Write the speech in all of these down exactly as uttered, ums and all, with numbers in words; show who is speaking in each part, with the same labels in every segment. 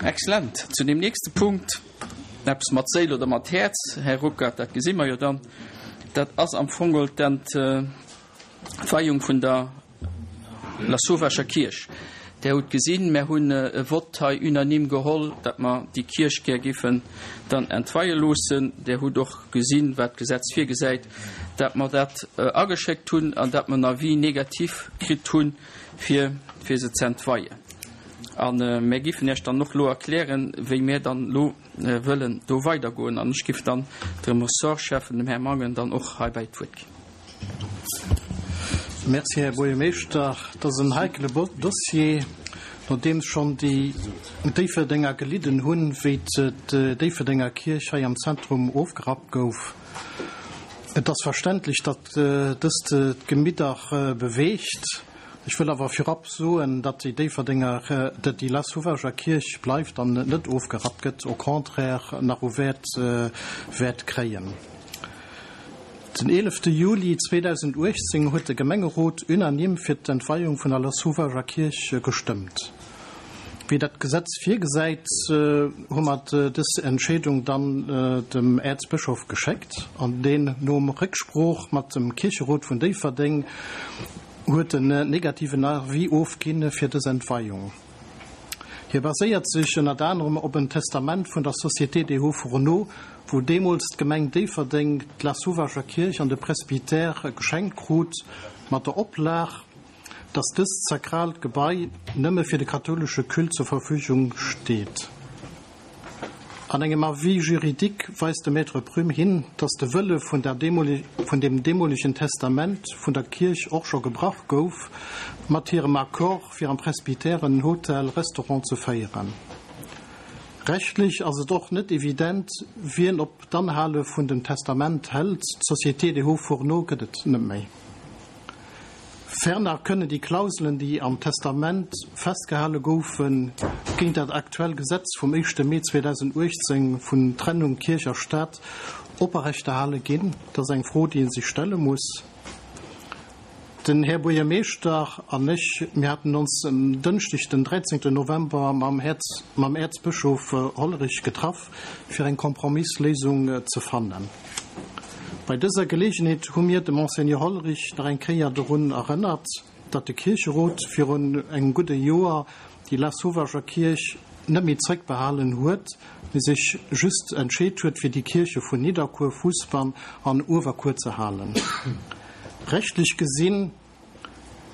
Speaker 1: Excellent. Zu deem nächste Punkt, eppes mat Séil oder mat Häerz, Här Ruckert, dat gesi mer jo dann, dat ass am Fong geholl d'Entweiung vun der Lasauvag'er Kierch. Der hutt gesinn, mär hunn e Vott hei unanime geholl, datt mer déi Kierch gär giffen dann entweie loossen. Der hutt och gesinn, wat d'Gesetz virgesäit, datt mer dat ageschéckt hunn an datt mer en Avis négatif kritt hunn, fir fir se ze entweien. A mär giffen Iech dann och lo erklären, wéi mär dann lo wëllen do weidergoen. An ech giff dann dem Ressortschäffen, dem Här Mangen, dann och heibäi d'Wuert ginn.
Speaker 2: Merci, Här Buergermeeschter. Dat ass en heikele Dossier, nodeems schonn déi Déifferdenger gelidden hunn, wéi d'Déifferdenger Kierch hei am Zentrum ofgerappt gouf. Et ass verständlech, datt dëst d'Gemidder beweegt. Ech wëll awer virab soen, datt déi Déifferdenger, datt déi Lasauvag'er Kierch bleift an net ofgerappt gëtt, au contraire nach u Wäert wäert kréien. Den eelefte Juli zweedausenduechtzéng huet de Gemengerot unanime fir d'Entweiung vun der Lasauvag'er Kierch gestëmmt. Wéi dat d'Gesetz virgesäit, hu mer dës Entscheedung dann dem Äerzbëschof geschéckt an deen, nom Récksprooch mat dem Kiercherot vun Déifferdeng, huet en negativen Avis ofginn fir dës Entweiung. Hie baséiert sech ënnert anerem op en Testament vun der Société des Hauts-Fourneaux, wou deemools d'Gemeng Déifferdeng d'Lassauvager Kierch an de Presbytère geschenkt krut, mat der Oplag, datt dëst sakraalt Gebai nëmme fir de kathoulesche Culte zur Verfügung steet. An engem Avis juridique weist de Maître Prüm hin, datt de Wëlle vun der vun dem deemolegen Testament vun der Kierch och scho gebrach gouf, mat hirem Accord fir am Presbytère en Hotel-Restaurant ze féieren. Rechtlech ass et och net evident, wien op d'Anhale vun dem Testament hält, d'Société des Hauts-Fourneaux gëtt et net méi. Ferner kënnen déi Klauselen, déi am Testament festgehale goufen, géint dat aktuell Gesetz vum éischte Mee zweedausenduechtzéng vun Trennung Kierch a Staat oprechterhale ginn. Dat ass eng Fro, déi ee sech stelle muss. Den Här Buergermeeschter an ech, mir haten ons en Dënschdeg, den dräizéngten November, mam Äerzbëschof Hollerich getraff, fir eng Kompromissléisung ze fannen. Bei dëser Geleegenheet hu mir de Monseigneur Hollerich nach eng Kéier dorun erënnert, datt de Kiercherot virun engem gudde Joer déi Lassauvager Kierch net méi zréckbehalen huet, mee sech just entscheet huet, fir déi Kierche vun Nidderkuer, Fousbann an Uewerkuer ze halen. Rechtlech gesinn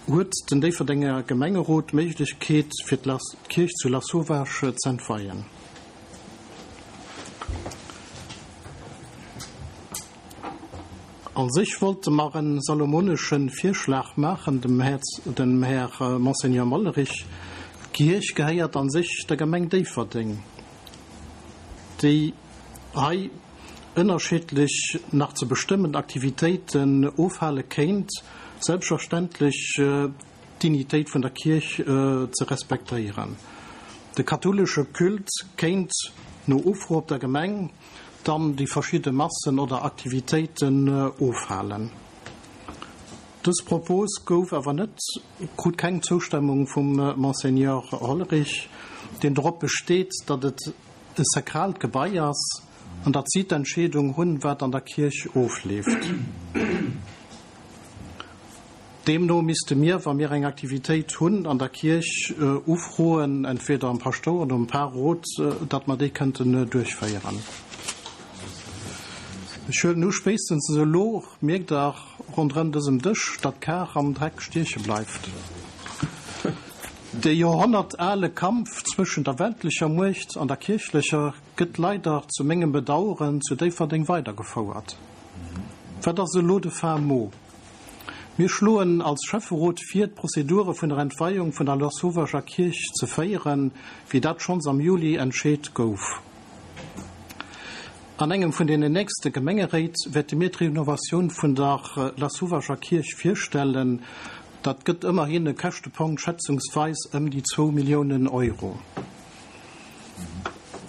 Speaker 2: huet den Déifferdenger Gemengerot d'Méiglechkeet, fir d'Kierch zu Lasauvage z'entweien. A sech wollte mer en salomonesche Virschlag maachen dem dem Här Monseigneur Mollerich. D'Kierch gehéiert a sech der Gemeng Déifferdeng, déi hei ënnerschiddlech nach ze bestëmmend Aktivitéiten ofhale kéint, selbstverständlech d'Dignitéit vun der Kierch ze respektéieren. De kathoulesche Culte kéint no Ufro op der Gemeng dann déi verschidde Massen oder Aktivitéiten ofhalen. Dës Propos gouf awer net, krut keng Zoustemmung vum Monseigneur Hollerich, deen dorop besteet, datt et e sakraalt Gebai ass an datt si d'Entscheedung hunn, wat an der Kierch ofleeft. Deemno misste mir, wa mir eng Aktivitéit hunn an der Kierch, ufroen, entweder am Paschtouer oder um Parrot, datt mer déi kënnten duerchféieren. Ech huelen u, spéitstens elo mierkt Der ronderëm dësem Dësch, datt d'Kar am Dreck stieche bleift. De joerhonnertale Kampf zwëschen der weltlecher Muecht an der kierchlecher gëtt leider zu mengem Bedaueren zu Déifferdeng weidergefouert. Wat ass elo de fin mot? Mir schloen als Schäfferot vir, d'Prozedure vun der Entweiung vun der Lassauvager Kierch ze féieren, wéi dat schonns am Juli entscheet gouf. An engem vun deenen nächste Gemengeréit wäerte mir d'Renovatioun vun der Lassauvager Kierch virstellen. Dat gëtt ëmmerhin e Käschtepunkt schätzungsweis ëm déi zwou Milliounen Euro.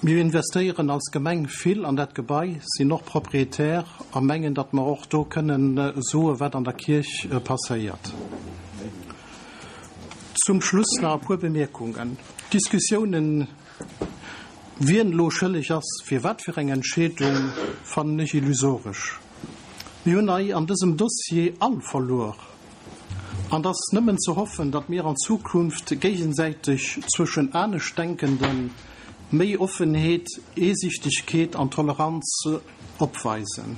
Speaker 2: Mir investéieren als Gemeng vill an dat Gebai, sinn och Proprietär a mengen, datt mer och do kënnen soe wat an der Kierch passéiert. Zum Schluss nach e puer Bemierkungen. D'Diskussiounen Wien elo schëlleg ass fir wat fir eng Entscheedung, fannen ech illusoresch. Mir hunn hei an dësem Dossier all verluer. An et ass nëmmen ze hoffen, datt mir an Zukunft géigesäiteg zwëschen Aneschtdenkenden méi Offenheet, Asiichtegkeet an Toleranz opweisen.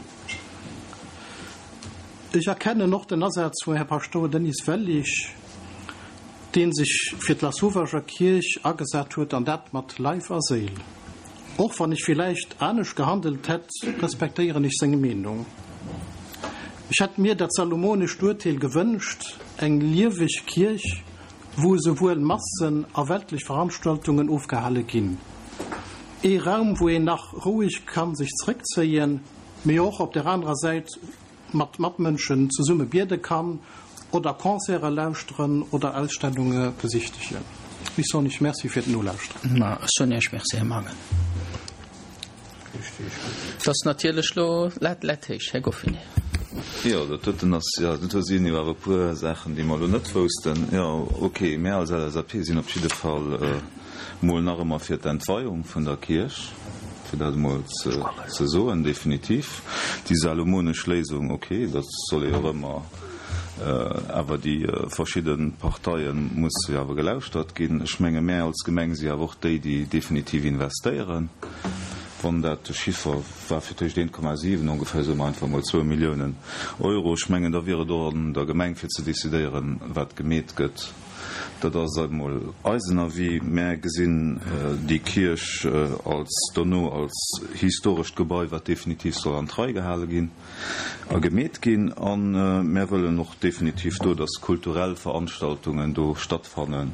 Speaker 2: Ech erkennen och den Asaz vum Här Paschtouer Denis Wellig, dee sech fir d'Lasauvage Kierch agesat huet, an dat mat Leif a Séil. Och wann ech villäicht anescht gehandelt hätt, respektéieren ech seng Meenung. Ech hätt mir dat salomonescht Urteel gewënscht, eng lieweg Kierch, wou esouwuel Massen a weltlech Veranstaltungen ofgehale ginn. Ee Raum, wou een nach roueg kann sech zréckzéien, mee och op der anerer Säit mat Matmënschen zesumme biede kann oder Concerte lauschteren oder Ausstellunge besichtegen. Ech soen Iech Merci fir d'Nolauschteren.
Speaker 1: Ma ech soen Iech Merci, Här Mangen. Et ass natierlech elo d'Lat läit héich, Här Goffinet.
Speaker 3: Jo, dat doten ass, jo, do sinn jo awer e puer Saachen, déi mer elo net woussten. Jo, okay, mär als L S A P sinn op jidde Fall mol nach ëmmer fir d'Entweiung vun der Kierch, fir dat emol ze soen, definitiv. Déi salomonesch Léisung, okay, dat soll ee jo och ëmmer, awer déi verschidde Parteie musse jo awer gelauschtert ginn. Ech menge mär als Gemeng si awer och déi, déi definitiv investéieren. Wann dat de Chiffer war fir tëscht eent Komma siwen ongeféier, soe mer einfach emol zwou Milliounen Euro, ech mengen, da wier et och an der Gemeng fir ze decidéieren, wat gemeet gëtt. Dat ass emol eisen Avis. Mär gesinn déi Kierch als dono als historescht Gebai, wat definitiv soll an d'Rei gehale ginn a gemeet ginn. A mär wëllen och definitiv do, dass kulturell Veranstaltungen do stattfannen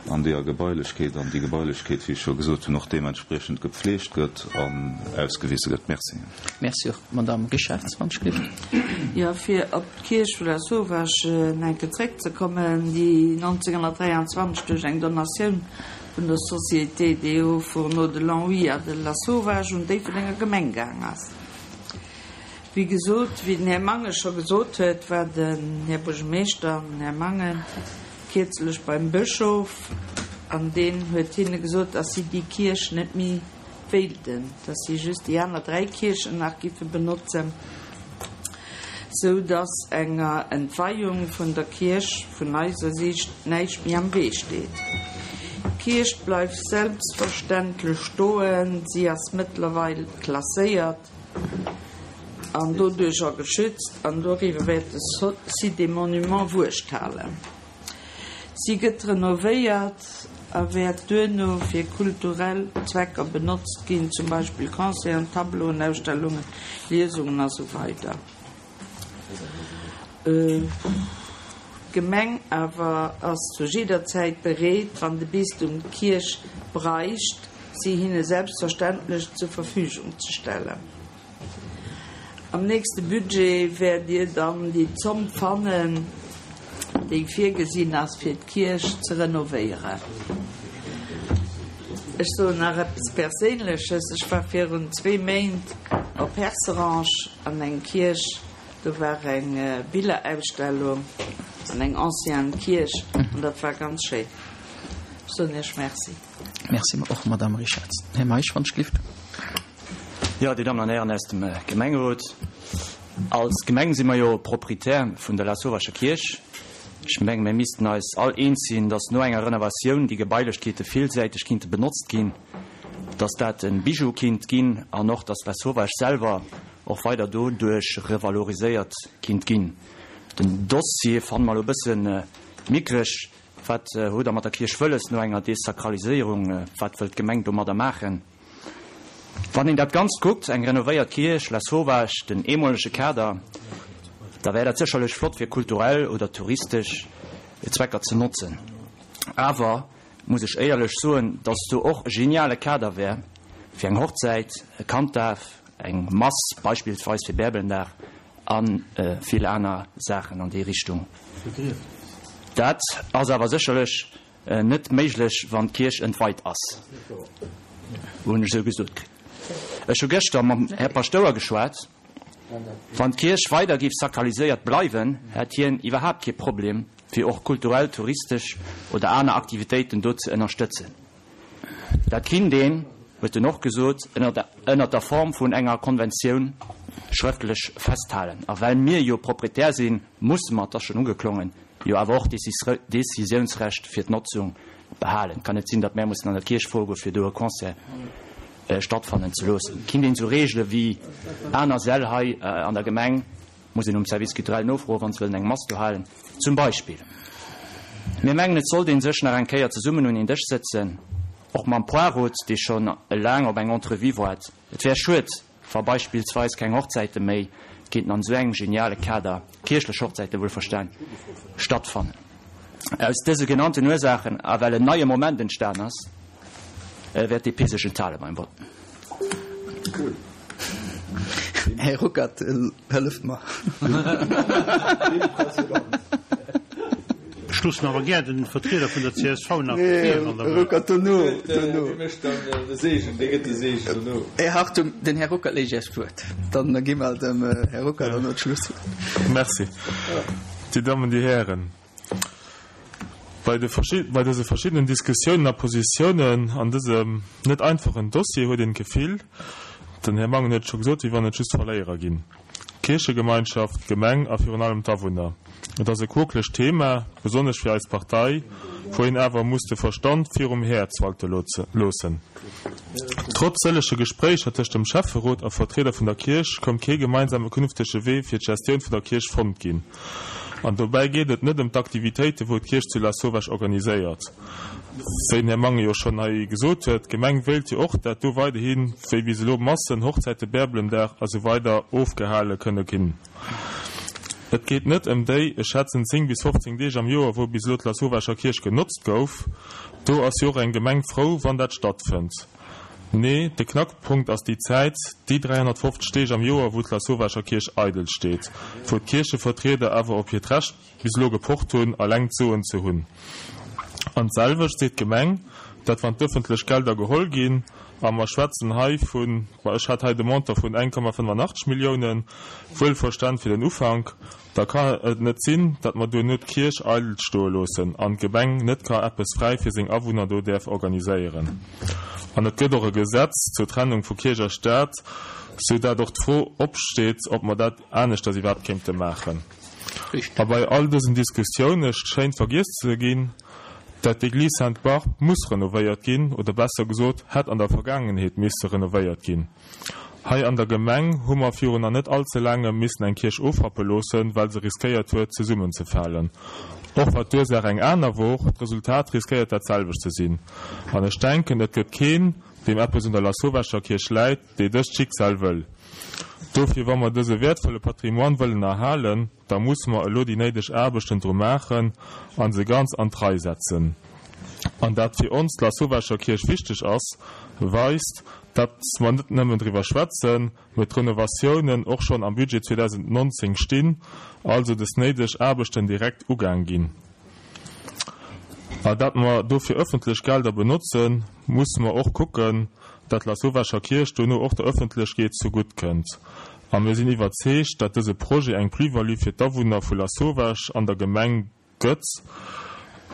Speaker 3: an deeër Gebailechkeet, an déi Gebailechkeet, wéi ech scho gesot hunn, och deementspriechend gepfleegt gëtt an ausgewise gëtt. Merci.
Speaker 1: Merci och. Madamm Richartz, wann ech gelift.
Speaker 4: Jo, fir op d'Kierch vu Lasauvage eng Kéier zréckzekommen, déi nonzénghonnertdräianzwanzeg duerch eng Donatioun vun der Société des Hauts Fourneaux de Longwy a de Lasauvage un d'Déifferdenger Gemeng gaang ass. Wéi gesot, wéi den Här Mangen scho gesot huet, war den Här Buergermeeschter an den Här Mangen kierzlech beim Bëschof an deen huet hinne gesot, dass si déi Kierch net méi wéilten, dass si just déi aner dräi Kierchen nach giffe benotzen, sou dass enger Entweiung vun der Kierch vun eiser Siicht näischt méi am Wee steet. D'Kierch bleift selbstverständlech stoen, si ass mëttlerweil klasséiert an doduercher geschützt an doriwwer wäert de Site des Monuments Wuecht halen. Si gëtt renovéiert a wäert duerno fir kulturell Zwecker benotzt ginn, zum Beispill Concerten, Tableauen, Ausstellungen, Liesungen a sou weider. D'Gemeng awer ass zu jidder Zäit bereet, wann de Bistum d'Kierch bräicht, si hinne selbstverständlech zur Verfügung ze stellen. Am nächste Budget wäert Dir dann déi Zomm fannen, déi virgesinn ass, fir d'Kierch ze renovéieren. Ech soen nach eppes Perséinleches, Ech war virun zwee Méint op Herserange an eng Kierch, do war eng Billerausstellung an eng ancienne Kierch an dat war ganz schéin. Ech soen Iech Merci.
Speaker 1: Merci och, Madamm Richartz. Här Meisch, wann ech gelift.
Speaker 5: Jo, Dir Dammen an Hären aus dem Gemengerot, als Gemeng si mer jo Proprietär vun der Lasauvage Kierch. Ech mengen, mir missten eis all eens sinn, dass no enger Renovatioun déi Gebailechkeete villsäiteg kinnte benotzt ginn, dass dat e Bijou kinnt ginn an och, dass Lasauvage selwer och weider doduerch revaloriséiert kinnt ginn. Den Dossier fanne mer elo e bësse mickreg. Wat hutt Der mat der Kierch wëlles no enger Desakraliséierung? Wat wëllt d'Gemeng domadder maachen? Wann een dat Ganzt kuckt, eng renovéiert Kierch, Lasauvage, den eemolege Kader, da wär dat sécherlech flott fir kulturell oder touristesch Zwecker ze notzen. Awer muss ech éierlech soen, dass do och e geniale Kader wär fir eng Hochzäit, e Kanddaf, eng Mass beispillsweis fir Bärbelendag a vill aner Saachen an déi Richtung. Dat ass awer sécherlech net méiglech, wann d'Kierch entweit ass, hunn ech esou gesot kritt. Ech hu gëschter mam Här Paschtouer geschwat. Wann d'Kierch weider géif sakraliséiert bleiwen, hätt hien iwwerhaapt kee Problem, fir och kulturell, touristesch oder aner Aktivitéiten do ze ënnerstëtzen. Dat kinnt een, huet en och gesot, ënnert der Form vun enger Konventioun schrëftlech festhalen. A well mir jo Proprietär sinn, musse mer, et ass schonn ugeklongen, jo awer och d'Décisiounsrecht fir d'Notzung behalen. Et kann net sinn, datt mär mussen an der Kierch virgoen, fir do e Concert stattfannen ze loossen. Et kinnt een esou regele wéi aner Säll hei an der Gemeng, muss een um Service culturel nofroen, wa se wëllen eng Mass do halen zum Beispill. Mir mengen, et sollt ee sech nach eng Kéier zesummen un een Dësch sëtzen, och mam Poirot, dee schonn laang op eng Entrevue waart. Et wär schued, wa beispillsweis keng Hochzäite méi kéinten an esou engem geniale Kader, kierchlech Hochzäite wuelverstan, stattfannen. Aus dëse genannten Ursaachen a well en neie Moment entstan ass, wäert d'DP sech enthale beim Vott.
Speaker 1: Här Ruckert, hëlleft mer.
Speaker 2: Ech loossen awer gär den Vertrieder vun der csv nach vir, wann Der
Speaker 1: wëllt. Ruckert dono, dono. Dee mécht dann de Seegen, dee gëtt de Seegen dono. Här Hartung, den Här Ruckert léich Iech d'Wuert. Dann gi mer dem Här Ruckert dono d'Schlusswuert.
Speaker 6: Merci. Dir Dammen, Dir Hären, bei de bei dëse verschiddenen Diskussiounen a Positiounen an dësem net einfachen Dossier huet een d'Gefill, den Här Mangen huet et scho gesot, wéi wann et just Verléierer ginn. D'Kierchegemeinschaft, d'Gemeng a virun allem d'Awunner. Et ass e quokelegt Thema, besonnesch fir eis Partei, wou een awer muss de Verstand virum Häerz walte loossen. Trotz sëllege Gespréicher tëscht dem Schäfferot a Vertrieder vun der Kierch konnt kee gemeinsame künftege Wee fir d'Gestioun vun der Kierch fonnt ginn. An dobäi geet et net ëm d'Aktivitéiten, wou d'Kierch zu Lasauvage organiséiert. Wéi den Här Mangen jo schonn hei gesot huet, d'Gemeng wéilt jo och, dat do weiderhi wéi bis elo Massen, Hochzäiten, Bärbelendag a sou weider ofgehale kënne ginn. Et geet net ëm déi, ech schätzen, zéng bis fofzéng Deeg am Joer, wou bis elo d'Lasauvaager Kierch genotzt gouf. Do ass jo och eng Gemeng frou, wann dat stattfënnt. Nee, de Knackpunkt ass déi Zäit, déi dräihonnertfofzeg Deeg am Joer, wou d'Lasauvaager Kierch eidel steet, wou d'Kierchevertrieder awer op hiert Recht bis elo gepocht hunn, eleng d'Soen ze hunn. An d'selwecht seet d'Gemeng, dat wann d'ëffentlech Gelder geholl ginn, a mer schwätzen hei vun, ma ech hat hei de Montant vun eng Komma fënnefanachteg Milliounen, wuelverstan fir den Ufank, da ka et net sinn, dat mer duerno d'Kierch eidel stoe loossen an d'Gemeng net ka eppes fräi fir seng Awunner do däerf organiséieren. An et gëtt och e Gesetz zur Trennung vu Kierch a Staat, sou dat och d'Fro opsteet, ob mer dat aneschters iwwerhaapt kéinte maachen. A bei all dësen Diskussioune schéint vergiess ze ginn, dat d'Église Sainte-Barbe muss renovéiert ginn, oder besser gesot, hätt an der Vergaangenheet misse renovéiert ginn. Hei an der Gemeng hu mer virun nach net all ze laangem missen eng Kierch ofrappe loossen, well se riskéiert huet, zesummenzefalen. Och wa d'Ursaach eng aner wor, d'Resultat riskéiert dat selwecht ze sinn. An ech denken, et gëtt keen, deem eppes un der Lasauvescher Kierch läit, dee dëst Schicksal wëll. Dofir, wa mer dëse wäertvolle Patrimoine wëllen erhalen, da musse mer elo déi néideg Aarbechten dru maachen a se ganz an d'Rei setzen. An dat fir ons d'Lasauvescher Kierch wichteg ass, weist, datt mer net nëmmen driwwer schwätzen, mee d'Renovatiounen och schonn am Budget zweedausendnonzéng stinn, also des néideg Aarbechten direkt ugaang ginn. A dat mer dofir ëffentlech Gelder benotzen, musse mer och kucken, dat d'Lasauvescher Kierch dono och der Ëffentlechkeet zugutt kënnt. A mir sinn iwwerzeegt, dat dëse Projet eng Plus-value fir d'Awunner vu Lasauvage an der Gemeng gëtt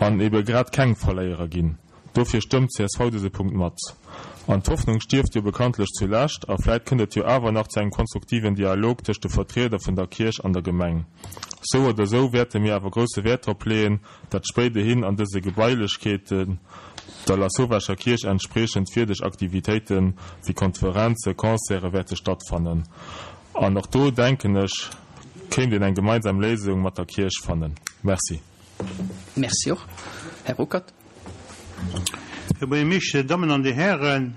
Speaker 6: an ebe grad keng Verléierer ginn. Dofir stëmmt csv dëse Punkt mat. An d'Hoffnung stierft jo bekanntlech zulescht a vläit kënnt et jo awer nach zu engem konstruktiven Dialog tëscht de Vertrieder vun der Kierch an der Gemeng. Sou oder sou wäerte mir awer grousse Wäert drop leeën, dat spéiderhin an dëse Gebailechkeeten der Lasauvescher Kierch entspriechend wierdeg Aktivitéite wéi Konferenze, Concerte wäerte stattfannen. An och do, denken ech, kéint een eng gemeinsam Léisung mat der Kierch fannen. Merci.
Speaker 1: Merci och. Här Ruckert.
Speaker 2: Här Buergermeeschter, Dir Dammen an Dir Hären,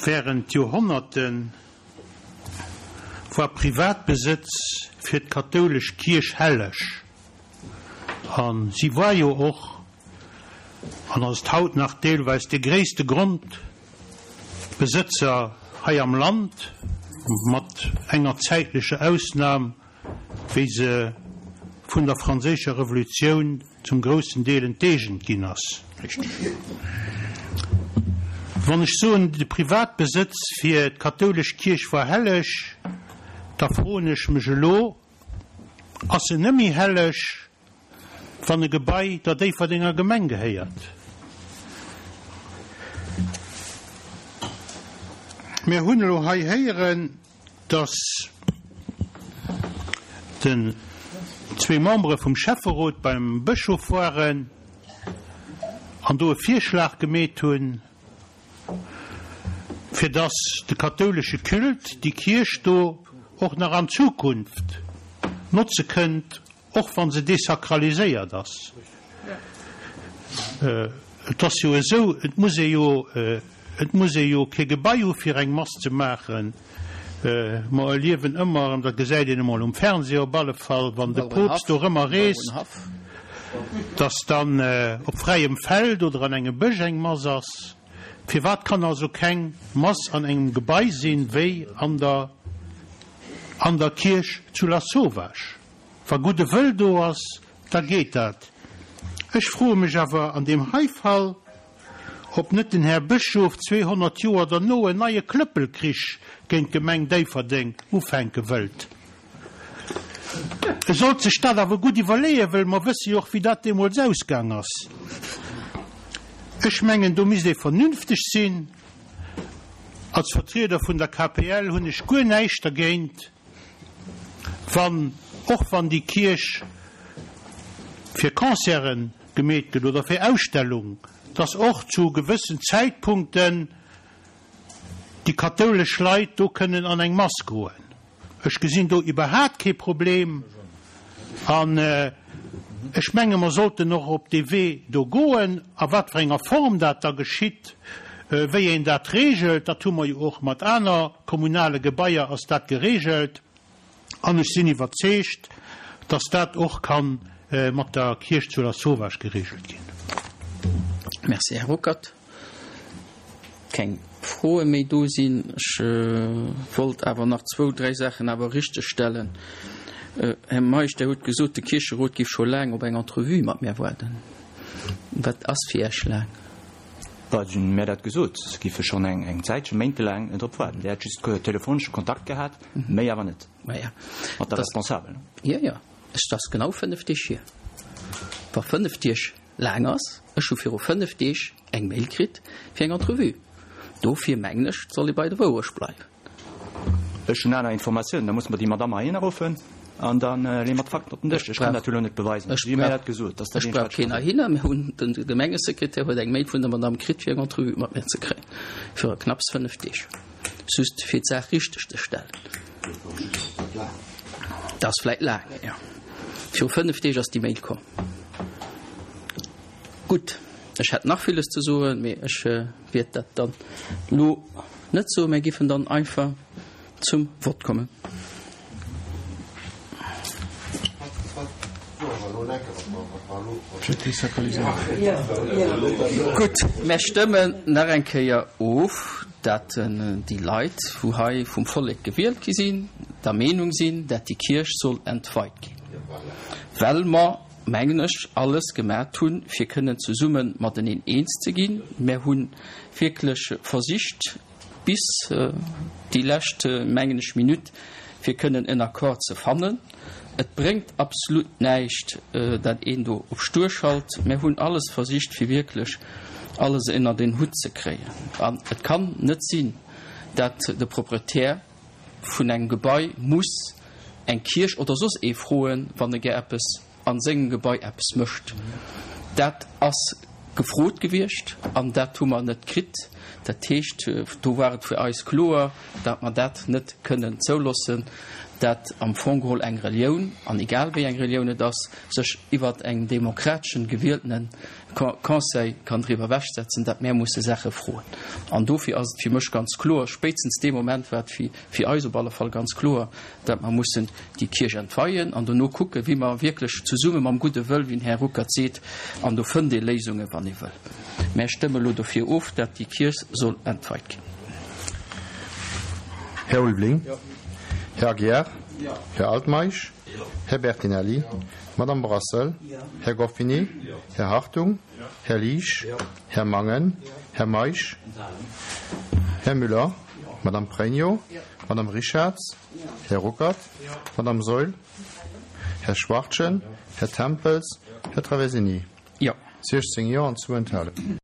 Speaker 2: während Joerhonnerte war Privatbesëtz fir d'kathoulesch Kierch helleg. A si war jo och, an ass et haut nach deelweis, de gréisste Grondbesëtzer hei am Land, mat enger zäitlecher Ausnam, wéi se vun der Franséischer Revolutioun zum groussen Deel enteegent ginn ass. Wann ech soen, de Privatbesëtz fir d'kathoulesch Kierch war helleg, da froen ech mech elo, Ass en nëmme helleg, wann e Gebai der Déifferdenger Gemeng gehéiert?
Speaker 7: Mir hunn elo hei héieren, dass den zwee Membere vum Schäfferot beim Bëschof waren an do e Virschlag gemeet hunn, fir dass de kathoulesche Culte déi Kierch do och nach an Zukunft notze kënnt, och wa se desakraliséiert ass. Et ass jo esou, et muss ee jo, et muss ee jo kee Gebai hu fir eng Mass ze maachen. Mer erliewen ëmmer erëm, dat gesäit een emol um Fernseh op alle Fall, wann de Poopst dorëmmer reest, dass dann op fräiem Feld oder an engem Bësch eng Mass ass. Firwat kann also keng Mass an engem Gebai sinn, wéi an der an der Kierch zu Lasauvage? Wa gudde Wëll do ass, da geet dat. Ech froe mech awer an deem hei Fall, ob net den Här Bëschof zweehonnert Joer derno en neie Klëppelkrich géint d'Gemeng Déifferdeng ufänke wëllt. E sollt sech dat awer gutt iwwerleeën, wëll mer wësse jo och, wéi dat deemools ausgaang ass. Ech mengen, do misst ee vernünfteg sinn. Als Vertrieder vun der K P L hunn ech guer näischt dergéint, wann, och wann déi Kierch fir Concerte gemeet gëtt oder fir Ausstellung, dass och zu gewëssen Zäitpunkten déi kathoulesch Leit do kënnen an eng Mass goen. Ech gesinn do iwwerhaat kee Problem an ech menge mer sollten och op dee Wee do goen. A wat fir enger Form dat da geschitt, wéi een dat regelt, dat hu mer jo och mat aner kommunale Gebaier ass dat geregelt. An ech sinn iwwerzeegt, dass dat och kann mat der Kierch zu Lasauvage geregelt ginn.
Speaker 1: Merci, Här Ruckert. Keng Froe méi do sinn. Ech wollt awer nach zwou, dräi Saachen awer richtegstellen. Här Meisch, Der hutt gesot, de Kiercherot géif scho laang op eng Entrevue mat mir waarden. Wat ass fir Iech laang?
Speaker 5: Bah, si hunn mir dat gesot, se géife schonn eng eng Zäitche, méintelaang drop waarden. Dir hätt just telefonesche Kontakt gehat, méi awer net.
Speaker 1: Maja.
Speaker 5: Mat der Responsabel.
Speaker 1: Jo, jo. Et ass genau fënnef Deeg hier. Wa fënnef Deeg laang ass, ech hu viru fënnef Deeg eng Mail kritt fir eng Entrevue. Dofir mengen ech, et soll ee bei der Wourecht bleiwen.
Speaker 5: Ech hunn aner Informatiounen, da musse mer déi Madamm heihinner ruffen an da leeë mer d'Fakten op den Dësch. Ech kann dat jo elo net beweisen. Si hu mir dat gesot, dass dat
Speaker 1: Ech brauch keen heihinner. Mir hunn, de Gemengesekretär huet eng Mail vun der Madamm kritt, fir eng Entrevue mat mir ze kréien, viru knapps fënnef Deeg. Just fir d'Saach richteg ze stellen. Dat ass vläicht laang, jo. Viru fënnef Deeg ass déi Mail komm. Gutt, ech hätt nach villes ze soen, mee ech wäert dat dann elo net soen. Mir géifen dann einfach zum Vott kommen. Gutt, mir stëmmen nach eng Kéier of, dat déi Leit, wou hei vum Vollek gewielt gi sinn, der Meenung sinn, dat déi Kierch soll entweit ginn, well mer, mengen ech, alles gemat hunn, fir kënnen zesumme mateneen eens ze ginn. Mir hu wierklech versicht bis déi lescht, mengen ech, Minutt, fir kënnen en Accord ze fannen. Et bréngt absolut näischt, dat een do op stur schalt. Mir hunn alles versicht, fir wierklech alles ënnert een Hutt ze kréien. An et kann net sinn, dat de Proprietär vun engem Gebai muss eng Kierch oder soss ee froen, wann e gär eppes a sengem Gebai eppes mécht. Dat ass gefrot gewiescht an dat hu mer net kritt. Dat heescht, do war et fir eis kloer, dat mer dat net kënnen zouloossen, dat am Fong geholl eng Relioun, an egal wéi eng Relioun et ass, sech iwwert engem demokrateschen gewieltene Conseil kann driwwer ewechsetzen, dat mär musse Saache froen. An dofir ass et fir mech ganz kloer, spéitstens dee Moment war et fir eis op alle Fall ganz kloer, dat mer mussen déi Kierch entweien an dono kucken, wéi mer wierklech zesumme mam gudde Wëll, wéi den Här Ruckert seet, an do fënnt ee Léisungen, wann ee wëll. Mär stëmme elo dofir of, dat déi Kierch soll entweit ginn.
Speaker 8: Här Ulveling. Här Aguiar. Här Altmeisch. Här Bertinelli. Madame Brassel. Här Goffini. Här Hartung. Här Liesch. Här Mangen. Här Meisch. Här Müller. Madame Pregno. Madame Richarz. Här Ruckert. Madame Saeul. Här Schwachtgen. Här Tempels. Här Traversini.
Speaker 1: Jo.
Speaker 8: siechzéng Jo an zwou Enthalungen.